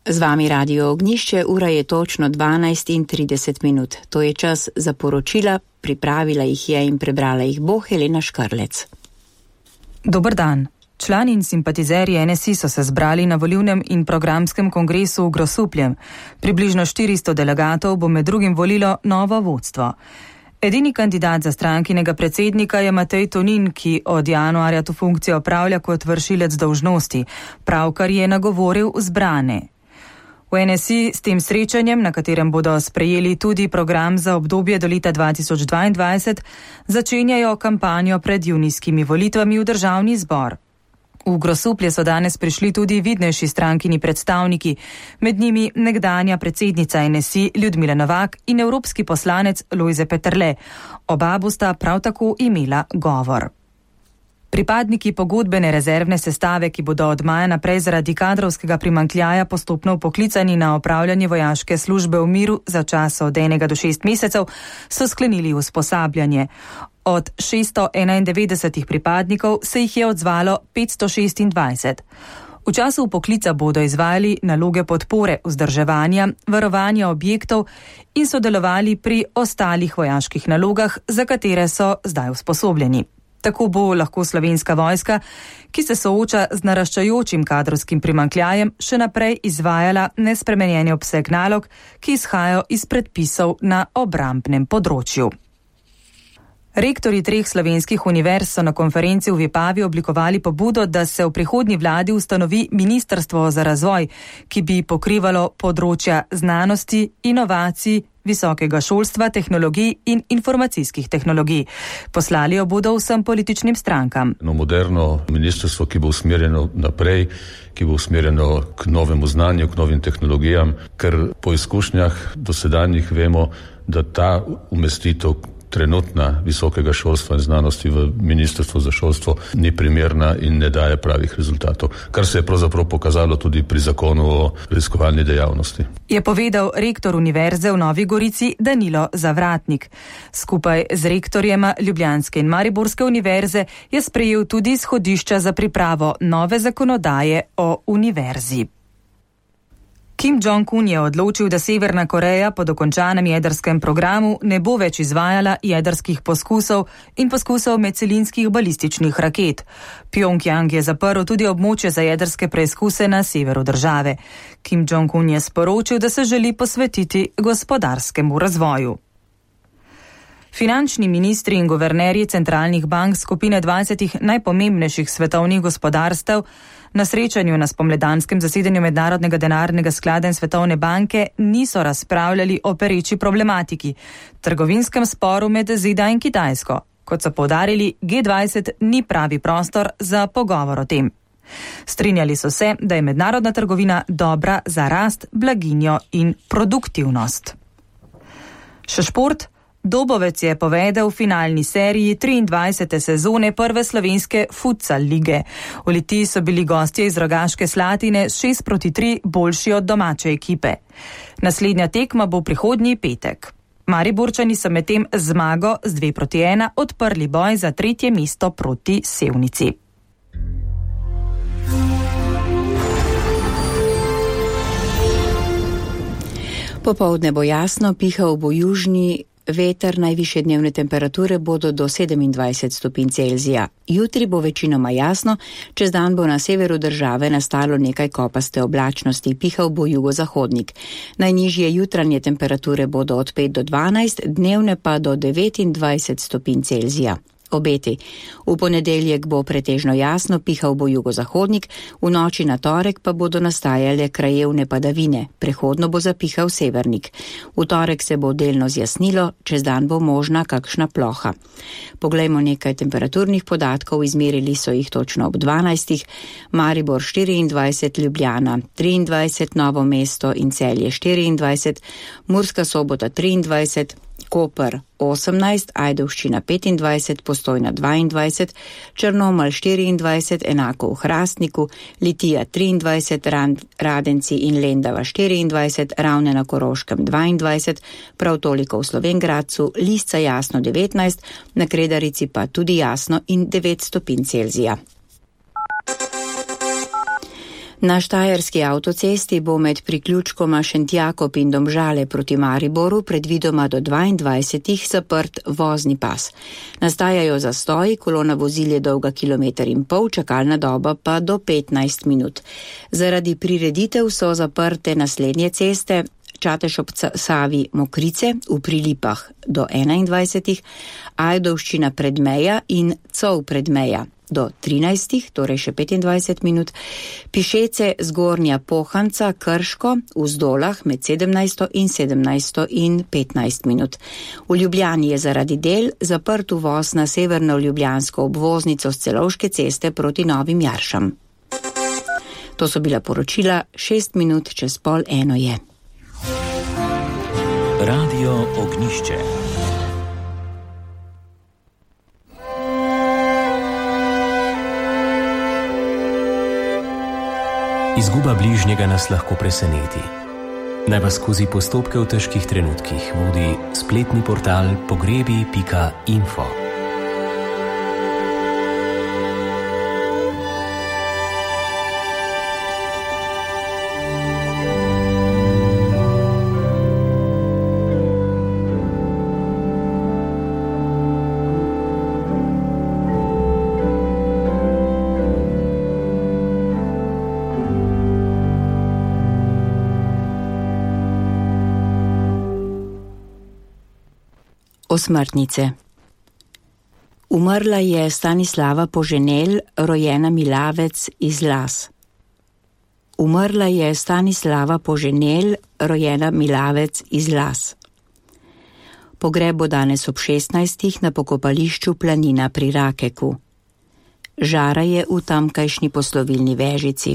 Z vami Radio Ognjišče, ura je točno 12:30. To je čas za poročila, pripravila jih je in prebrala jih bo Helena Škarlec. Dober dan. Člani in simpatizerji NSI so se zbrali na volilnem in programskem kongresu v Grosupljem. Približno 400 delegatov bo med drugim volilo novo vodstvo. Edini kandidat za strankinega predsednika je Matej Tonin, ki od januarja to funkcijo opravlja kot vršilec dolžnosti, pravkar je nagovoril zbrane. V NSI s tem srečanjem, na katerem bodo sprejeli tudi program za obdobje do leta 2022, začenjajo kampanjo pred junijskimi volitvami v državni zbor. V Grosuplje so danes prišli tudi vidnejši strankini predstavniki, med njimi nekdanja predsednica NSI Ljudmila Novak in evropski poslanec Lojze Peterle. Oba bosta prav tako imela govor. Pripadniki pogodbene rezervne sestave, ki bodo od maja naprej zaradi kadrovskega primanjkljaja postopno vpoklicani na opravljanje vojaške službe v miru za čas od 1 do 6 mesecev, so sklenili usposabljanje. Od 691 pripadnikov se jih je odzvalo 526. V času vpoklica bodo izvajali naloge podpore, vzdrževanja, varovanja objektov in sodelovali pri ostalih vojaških nalogah, za katere so zdaj usposobljeni. Tako bo lahko Slovenska vojska, ki se sooča z naraščajočim kadrovskim primanjkljajem, še naprej izvajala nespremenjeni obseg nalog, ki izhajajo iz predpisov na obrambnem področju. Rektorji 3 slovenskih univerz so na konferenci v Vipavi oblikovali pobudo, da se v prihodnji vladi ustanovi Ministrstvo za razvoj, ki bi pokrivalo področja znanosti, inovacij, visokega šolstva, tehnologij in informacijskih tehnologij. Poslali jo bodo vsem političnim strankam. Moderno ministrstvo, ki bo usmerjeno naprej, ki bo usmerjeno k novemu znanju, k novim tehnologijam, ker po izkušnjah dosedanjih vemo, da ta umestitev trenutna visokega šolstva in znanosti v Ministrstvo za šolstvo ni primerna in ne daje pravih rezultatov, kar se je pravzaprav pokazalo tudi pri zakonu o raziskovalni dejavnosti. Je povedal rektor Univerze v Novi Gorici Danilo Zavratnik. Skupaj z rektorjema Ljubljanske in Mariborske univerze je sprejel tudi izhodišča za pripravo nove zakonodaje o univerzi. Kim Jong-un je odločil, da Severna Koreja po dokončanem jedrskem programu ne bo več izvajala jedrskih poskusov in poskusov medcelinskih balističnih raket. Pjongjang je zaprl tudi območje za jedrske preizkuse na severu države. Kim Jong-un je sporočil, da se želi posvetiti gospodarskemu razvoju. Finančni ministri in guvernerji centralnih bank skupine 20 najpomembnejših svetovnih gospodarstev na srečanju na spomladanskem zasedanju Mednarodnega denarnega sklada in Svetovne banke niso razpravljali o pereči problematiki, trgovinskem sporu med ZDA in Kitajsko. Kot so poudarili, G20 ni pravi prostor za pogovor o tem. Strinjali so se, da je mednarodna trgovina dobra za rast, blaginjo in produktivnost. Še šport. Dobovec je povedal v finalni seriji 23. sezone prve slovenske futsal lige. V Litiji so bili gostje iz Rogaške Slatine 6-3 boljši od domače ekipe. Naslednja tekma bo prihodnji petek. Mariborčani so medtem zmago z 2-1 odprli boj za 3. mesto proti Sevnici. Popoldne bo jasno, pihal bo južni veter, najvišje dnevne temperature bodo do 27 stopinj Celzija. Jutri bo večinoma jasno, čez dan bo na severu države nastalo nekaj kopaste oblačnosti, pihal bo jugozahodnik. Najnižje jutranje temperature bodo od 5 do 12, dnevne pa do 29 stopinj Celzija. Obeti. V ponedeljek bo pretežno jasno, pihal bo jugozahodnik, v noči na torek pa bodo nastajale krajevne padavine, prehodno bo zapihal severnik. V torek se bo delno zjasnilo, čez dan bo možna kakšna ploha. Poglejmo nekaj temperaturnih podatkov, izmerili so jih točno ob 12. Maribor 24, Ljubljana 23, Novo mesto in Celje 24, Murska Sobota 23, Koper 18, Ajdovščina 25, Postojna 22, Črnomelj 24, enako v Hrastniku, Litija 23, Radenci in Lendava 24, Ravne na Koroškem 22, prav toliko v Slovenj Gradcu, Lisca jasno 19, na Kredarici pa tudi jasno in 9 stopinj Celzija. Na štajerski avtocesti bo med priključkoma Šentjakob in Domžale proti Mariboru predvidoma do 22 zaprt vozni pas. Nastajajo zastoji, kolona vozil je dolga 1,5 km, čakalna doba pa do 15 minut. Zaradi prireditev so zaprte naslednje ceste: Čatež ob Savi Mokrice v Prilipah do 21, Ajdovščina Predmeja in Cov Predmeja do 13, torej še 25 minut, Pišece Zgornja Pohanca Krško v Zdolah med 17 in 17 in 15 minut. V Ljubljani je zaradi del zaprt uvoz na severno ljubljansko obvoznico s Celovške ceste proti Novim Jaršam. To so bila poročila, 6 minut čez 12:30 je. Radio Ognišče. Izguba bližnjega nas lahko preseneti. Naj vas skozi postopke v težkih trenutkih vodi spletni portal pogrebi.info. Osmrtnice. Umrla je Stanislava Poženel, rojena Milavec iz Las. Umrla je Stanislava Poženel, rojena Milavec iz Las. Pogreb bo danes ob 16 na pokopališču Planina pri Rakeku. Žara je v tamkajšnji poslovilni vežici.